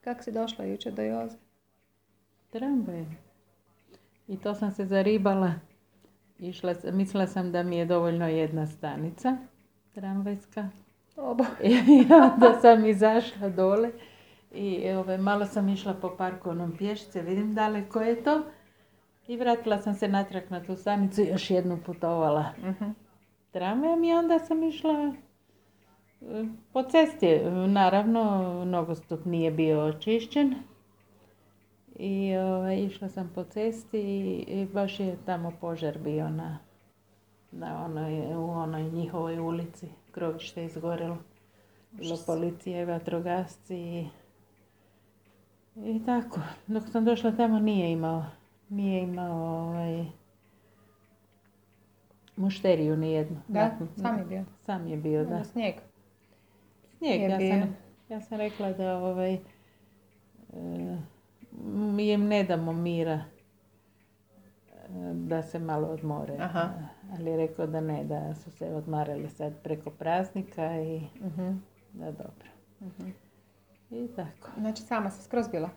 Kako si došla jučer do Joze? Tramvaj. I to sam se zaribala. Mislila sam da mi je dovoljno jedna stanica tramvajska. I onda sam izašla dole i malo sam išla po parku onom pješice, vidim daleko je to. I vratila sam se natrag na tu stanicu i još jednu putovala tramvajem i onda sam išla po cesti. Naravno, nogostup nije bio očišćen. I išla sam po cesti i baš je tamo požar bio u onoj njihovoj ulici. Krovište izgorelo. Bilo policija i vatrogasci i tako. Dok sam došla tamo nije imao mušteriju nijednu. Da, sam je bio. Sam je bio, da. Snijeg. Ja sam rekla da mi im ne damo mira da se malo odmore. Aha. Ali je rekao da ne, da su se odmarali sad preko praznika i da dobro. I tako. Znači sama se skroz bila?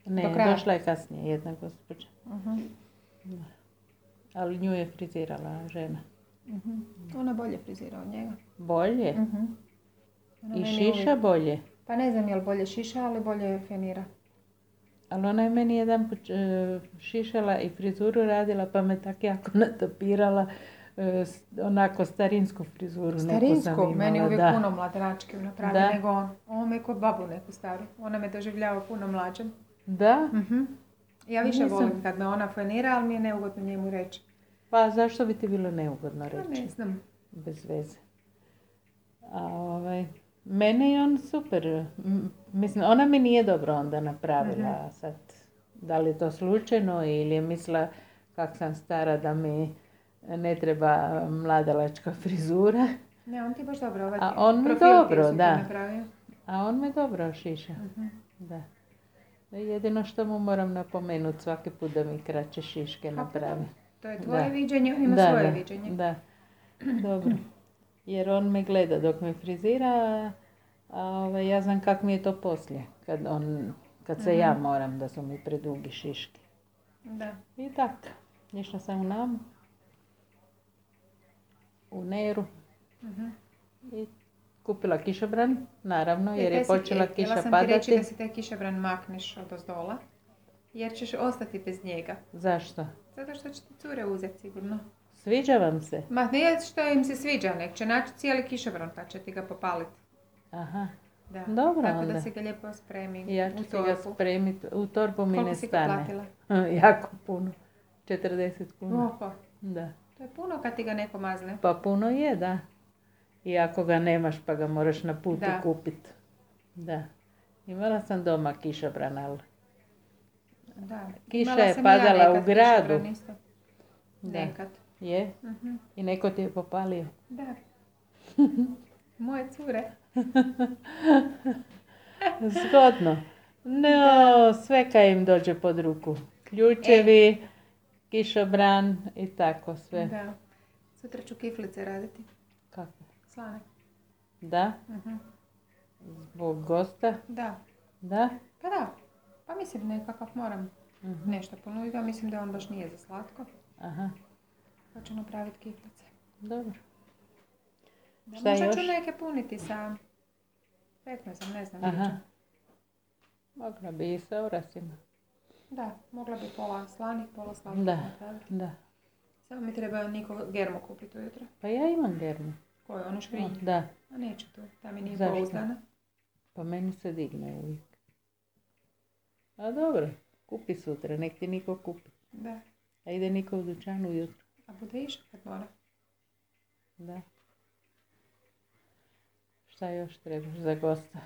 Ne, došla je kasnije jedna gospođa. Da. Ali nju je frizirala žena. Ona bolje frizira od njega. Bolje? I šiša bolje? Pa ne znam je li bolje šiša, ali bolje fenira. Ali ona je meni jedan šišala i frizuru radila, pa me tako jako natapirala. Onako starinsku frizuru. Starinsku? Meni uvijek puno mladračke napravi nego on. On me kod babu neku staru. Ona me doživljava puno mlađom. Da? Ja više volim kad me ona fenira, ali mi je neugodno njemu reći. Pa zašto bi ti bilo neugodno reći? Pa ne znam. Bez veze. Mene je on super. Mislim, ona mi nije dobro onda napravila sad. Da li je to slučajno ili je mislila kak sam stara da mi ne treba mladalačka frizura. Ne, on ti baš dobro A on me dobro, da. A on me dobro šiša. Da. Jedino što mu moram napomenuti svaki put da mi kraće šiške napravi. To je tvoje viđenje, on ima svoje viđenje. Da, dobro. Jer on me gleda dok me frizira, a ja znam kak mi je to poslije. Kad se ja moram da su mi predugi šiške. Da. I tako. Išla sam u Namu. U Neru. I kupila kišobran, naravno, jer je počela kiša padati. Htjela sam ti reći da si taj kišobran makneš od ozdola, jer ćeš ostati bez njega. Zašto? Zato što će ti cure uzeti sigurno. Sviđa vam se? Ma nije što im se sviđa, nek će naći cijeli kišobran pa će ti ga popaliti. Aha. Da. Dobro tako onda. Da se ga lijepo spremi. Ja ću ti ga spremiti. U torbu mi ne stane. Koliko si ga platila? Jako puno. 40 kuna. Opa. Da. To je puno kad ti ga neko mazne. Pa puno je, da. I ako ga nemaš pa ga moraš na putu kupiti. Da. Imala sam doma kišobran, ali da. Kiša je padala u gradu. Nekad. Je? I neko ti je popalio? Da. Moje cure. Zgodno. No, sve kaj im dođe pod ruku. Ključevi, kišobran i tako sve. Da. Sutra ću kiflice raditi. Kako? Slane. Da? Zbog gosta? Da. Da? Pa da. Pa mislim nekakav moram nešto ponuditi, a mislim da on baš nije za slatko. Aha. Pa ću napraviti kiflice. Dobro. Da, šta možda još? ću neke puniti sa pekmezom, ne znam. Aha. Mogla bi i sa orasima. Da, mogla bi pola slanih, pola slatko napraviti. Da. Samo mi treba Niko germu kupiti ujutro. Pa ja imam germu. Koju, onu škrinju? Da. A neću tu, ta mi nije Zašto? pouzdana. Pa meni se digne uvijek. A dobro, kupi sutra, nek ti Niko kupi. Da. A ide Niko u dućanu ujutro. A bude išao kad mora. Da. Šta još trebaš za gosta?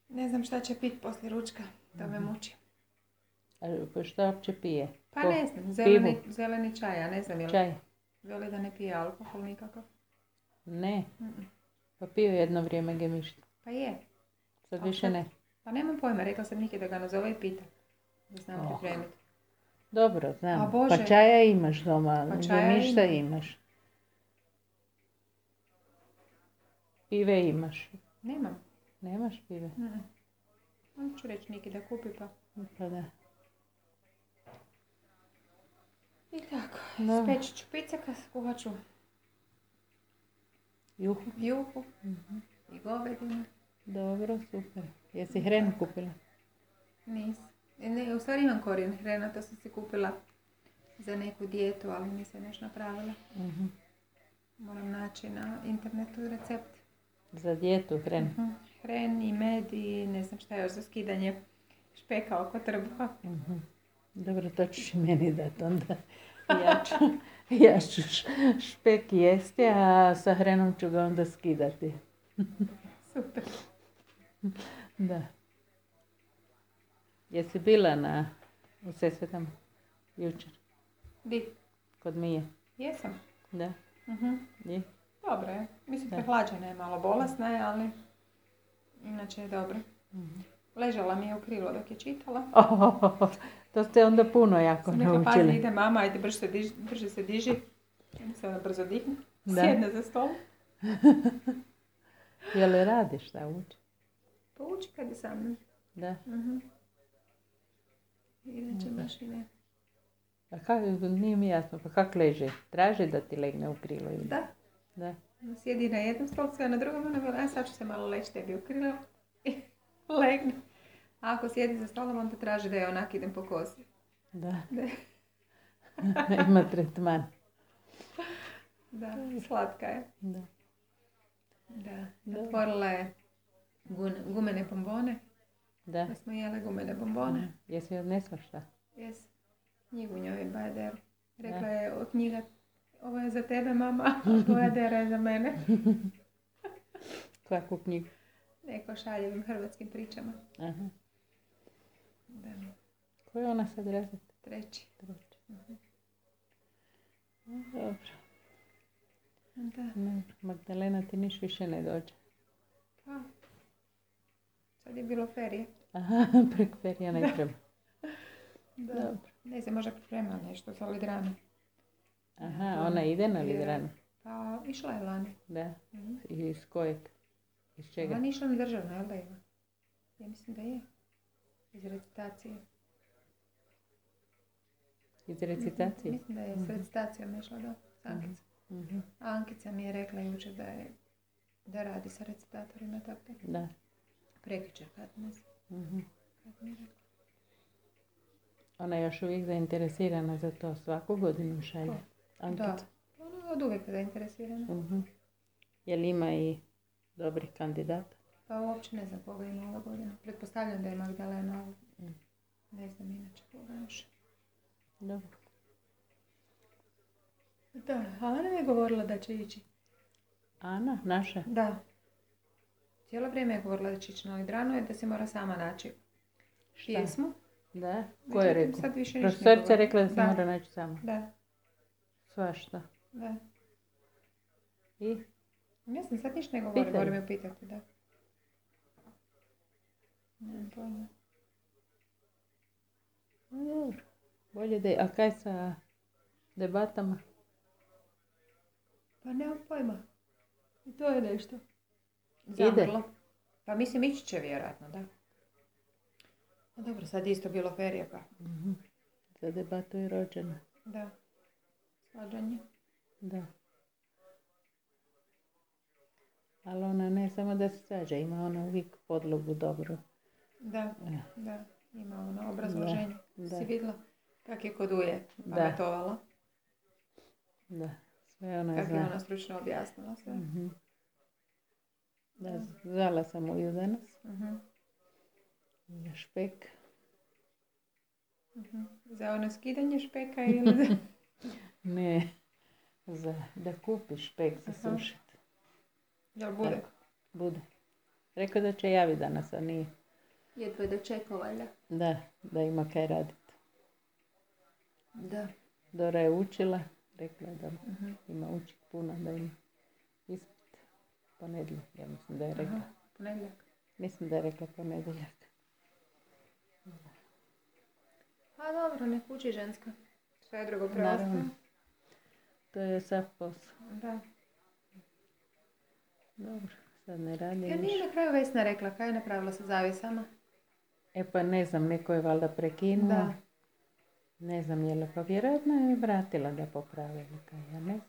Ne znam šta će pit poslije ručka, to me muči. A šta uopće pije? Pa ne znam, zeleni čaj, ja ne znam jel. Čaj? Veli da ne pije alkohol nikakav. Ne. Pa pio jedno vrijeme gemišta. Pa je. Sad više ne. Pa nemam pojma, rekla sam Niki da ga nazove i pita. Da znam pripremiti. Dobro, znam. Pa čaja imaš doma, gemišta imaš. Pive imaš. Nemam. Nemaš pive? Onda ću reći Niki da kupi pa. Pa da. I tako. Da. Speći ću picaka, skuhat ću juhu i govedinu. Dobro, super. Jesi hrenu kupila? Nisam. Ne, u stvari imam korijen hrena, to sam si kupila za neku dijetu, ali nisam još napravila. Moram naći na internetu recept. Za dijetu hren? Hren i med i ne znam šta još za skidanje špeka oko trbuha. Dobro, to ćeš i meni dati onda. Ja ću špek jesti, a sa hrenom ću ga onda skidati. Super. Da. Jesi bila u Sesvetama jučer? Di? Kod Mije? Jesam. Da. I? Dobro je. Mislim, prehlađena je, malo bolesna je, ali inače je dobro. Ležala mi je u krilo dok je čitala. To ste onda puno jako naučili. Sam rekla, pazi, ide mama, ajde brže se diži. Onda se ona brzo digne. Sjedne za stol. Je li radiš šta uči? Pa uči kad je sa mnom. Da. Inače baš i ne. A kako, nije mi jasno, pa kako leži? Traži da ti legne u krilo ili? Da. Sjedi na jednom stolcu, a na drugom ona bila, sad ću se malo leći tebi u krilo. I legne. A ako sjedi za stolom, onda traži da je onak idem po kozi. Da. Ima tretman. Da, slatka je. Da. Otvorila je gumene bombone. Da smo jele gumene bombone. Jesi odnesla šta? Jes. Knjigu njoj Bajaderu. Rekla je, knjiga, ovo je za tebe, mama, Bajadera je za mene. Kakvu knjigu? Neko šaljevim hrvatskim pričama. Aha. Da. Koji je ona sad razred? Treći. Dobro. Da. Magdalena ti niš više ne dođe. Pa. Sad je bilo ferije. Aha, preko ferija ne treba. Da. Dobro. Ne znam, možda priprema nešto za Lidranu. Aha, ona ide na Lidranu? Pa, išla je lani. Da. I iz kojeg? Iz čega? Ona išla na državno, jel da ima? Ja mislim da je. Iz recitacije. Iz recitacije? Mislim da je s recitacijom išla do Ankica. A Ankica mi je rekla jučer da radi sa recitatorima, tako da. Prekjučer, kad ne znam. Kad mi je rekla. Ona je još uvijek zainteresirana za to, svaku godinu šalje. Ankica. Da, ona je od uvijek zainteresirana. Je li ima i dobrih kandidata? Pa uopće ne znam koga ima ova godina. Pretpostavljam da je Magdalena, ali ne znam inače koga još. Dobro. Da, a Ana je govorila da će ići. Ana, naša? Da. Cijelo vrijeme je govorila da će ići na Lidranu i da se mora sama naći pjesmu. Da? Ko je rekao? Profesorica je rekla da se mora naći sama? Da. Svašta? Da. I? Ne znam, sad ništa ne govorim, moram je pitati, da. Nemam pojma. Dobro. Bolje da je. A kaj sa debatama? Pa nemam pojma. I to je nešto. Zamrlo. Pa mislim, ići će vjerojatno, da. No dobro, sad isto bilo ferije, pa. Za debatu je rođena. Da. Svađanje. Da. Ali ona ne samo da se svađa, ima ona uvijek podlogu dobro. Da, da. Ima ono obrazloženje. Si vidjela kak je kod Uje pametovala? Da, sve ona zna. Kak je ona stručno objasnila sve. Da, zvala sam Uju danas. Za špek. Za ono skidanje špeka ili za... Ne, da kupiš špek za sušit. Jel bude? Tako, bude. Rekao da će javiti danas, a nije. Jedva je dočekao, valjda. Da ima kaj raditi. Da. Dora je učila, rekla je da ima učit puno, da ima ispit ponedjeljak, ja mislim da je rekla. Ponedjeljak? Mislim da je rekla ponedjeljak. A dobro, nek uči ženska. Sve je drugo preostaje. To je sav posao. Da. Dobro, sad ne radi Ja nije na kraju Vesna rekla, kaj je napravila sa zavisama? E pa ne znam, neko je valjda prekinuo. Da. Ne znam je li, pa vjerojatno je vratila da popravi ili kaj, ja ne znam.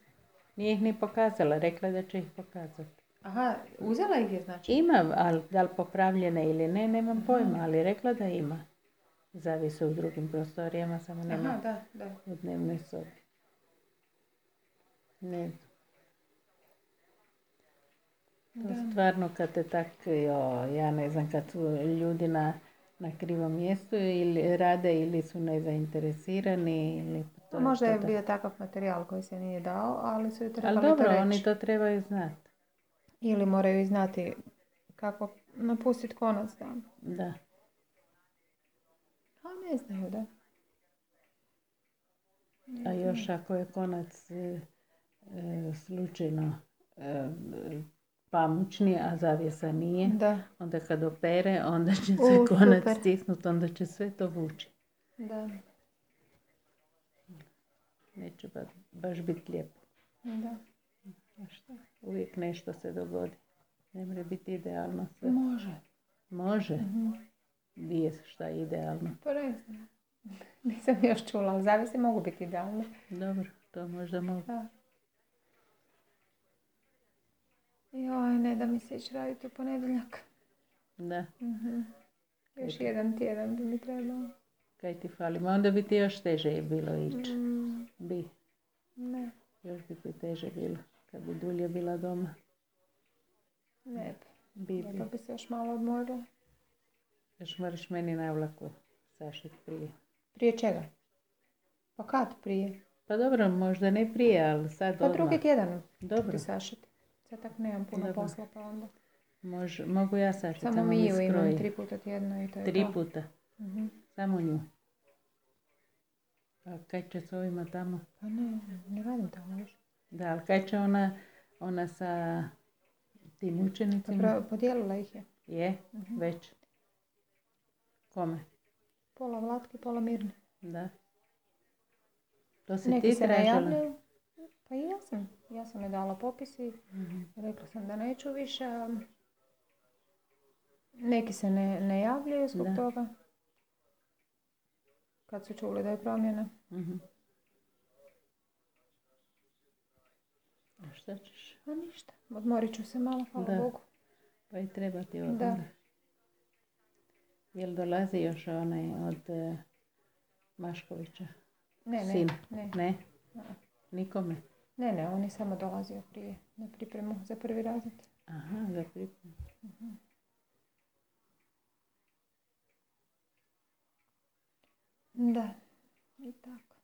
Nije ih ni pokazala, rekla da će ih pokazati. Aha, uzela ih je znači? Ima, ali da li popravljene ili ne, nemam pojma, ali rekla da ima. Zavise u drugim prostorijama, samo nema Aha, da. u dnevnoj sobi. Ne znam. To stvarno kad te tak, ja ne znam, kad su ljudi na krivom mjestu ili rade ili su nezainteresirani ili... Možda je bio takav materijal koji se nije dao, ali su i trebali ali dobro, to reći. oni to trebaju znati. Ili moraju znati kako napustiti konac tamo. Da. A ne znaju, da. A još ako je konac slučajno pamučni, a zavjesa nije, Da. onda kad opere, onda će se konac stisnuti, onda će sve to vući. Da. Neće baš biti lijepo. Da. A šta? Uvijek nešto se dogodi. Ne mora biti idealno sve. Može. Može? Nije šta je idealno. Pa ne znam. Nisam još čula, ali zavisi mogu biti idealne. Dobro, to možda mogu. Da. Joj, ne da mi se ići raditi u ponedjeljak. Da. Još jedan tjedan bi mi trebalo. Kaj ti fali? Ma onda bi ti još teže bilo ići. Bi. Ne. Još bi ti teže bilo. Kad bi dulje bila doma. Ne bi. Pa bi se još malo odmorila. Još moraš meni na vlaku sašiti prije. Prije čega? Pa kad prije? Pa dobro, možda ne prije, ali sad odmah. Pa drugi tjedan Dobro. ti sašiti. Sad tak nemam puno posla pa onda. Mogu ja sašiti, samo mi Miju skroji. imam 3 puta tjedno i to je 3 puta? to. Samo nju? A kaj će s ovima tamo? Pa ne radim tamo više. Da, ali kaj će ona sa tim učenicima? Podijelila ih je. Je? Već? Kome? Pola Vlatki, pola Mirni. Da. To si Neki ti se ne tražila? javljaju. Pa i ja sam. Ja sam je dala popis i rekla sam da neću više. Neki se ne javljaju zbog toga. Kad su čuli da je promjena. A šta ćeš? A ništa. Odmorit ću se malo, hvala Bogu. Pa i treba ti odmor. Da. Jel dolazi još onaj od Maškovića? Ne. Sin? Ne? Nikome? Ne, on je samo dolazio prije na pripremu za prvi razred. Aha, za pripremu. Da, i tako.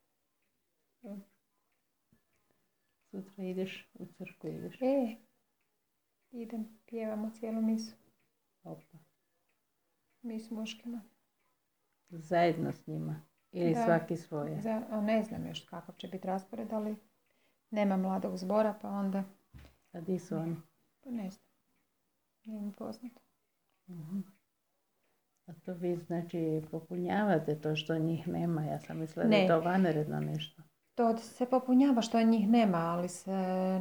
Sutra ideš u crkvu, ideš? Idem, pjevamo cijelu misu. Opa. Mi s muškima. Zajedno s njima? Ili svaki svoje? Ne znam još kakav će biti raspored, ali nema mladog zbora, pa onda... A di su oni? Pa ne znam. Nije mi poznato. A to vi znači popunjavate to što njih nema? Ja sam mislila da je to vanredno nešto. To se popunjava što njih nema, ali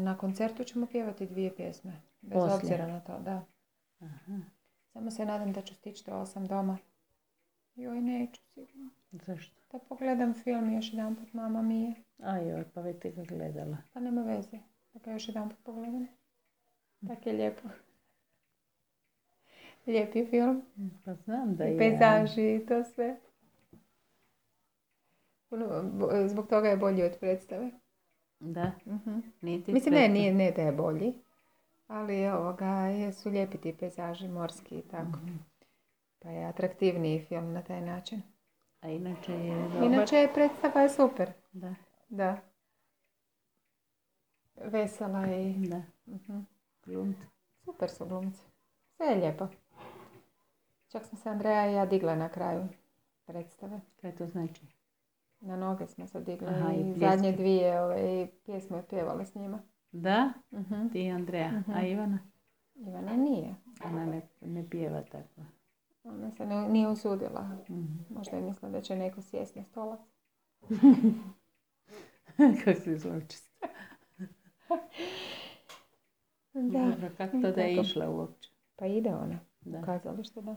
na koncertu ćemo pjevati 2 pjesme. Bez obzira na to, da. Aha. Samo se nadam da ću stići do 8 doma. Joj, neću sigurno. Zašto? Da pogledam film još jedan put, Mama Mia. Ajoj, pa već ti ga gledala. Pa nema veze. Da ga još jedan put pogledam. Tak je lijepo. Lijep je film. Pa znam da je. I pejzaži i to sve. Zbog toga je bolji od predstave. Da? Mislim, ne da je bolji. Ali su lijepi ti pejzaži, morski i tako. Pa je atraktivniji film na taj način. A inače je dobar? Inače predstava je super. Da. Vesela i... Da. Glumci. Super su glumci. Sve je lijepo. Čak smo se Andreja i ja digle na kraju predstave. Kaj to znači? Na noge smo se digle. Aha, i zadnje 2 pjesme je pjevale s njima. Da? Ti i Andreja. A Ivana? Ivana nije. Ona ne pjeva tako. Ona se nije usudila. Možda je mislila da će neko sjesti na stolac. Kako si zločista. Da. Dobro, kako to da je išla uopće? Pa ide ona. Kazalište, da.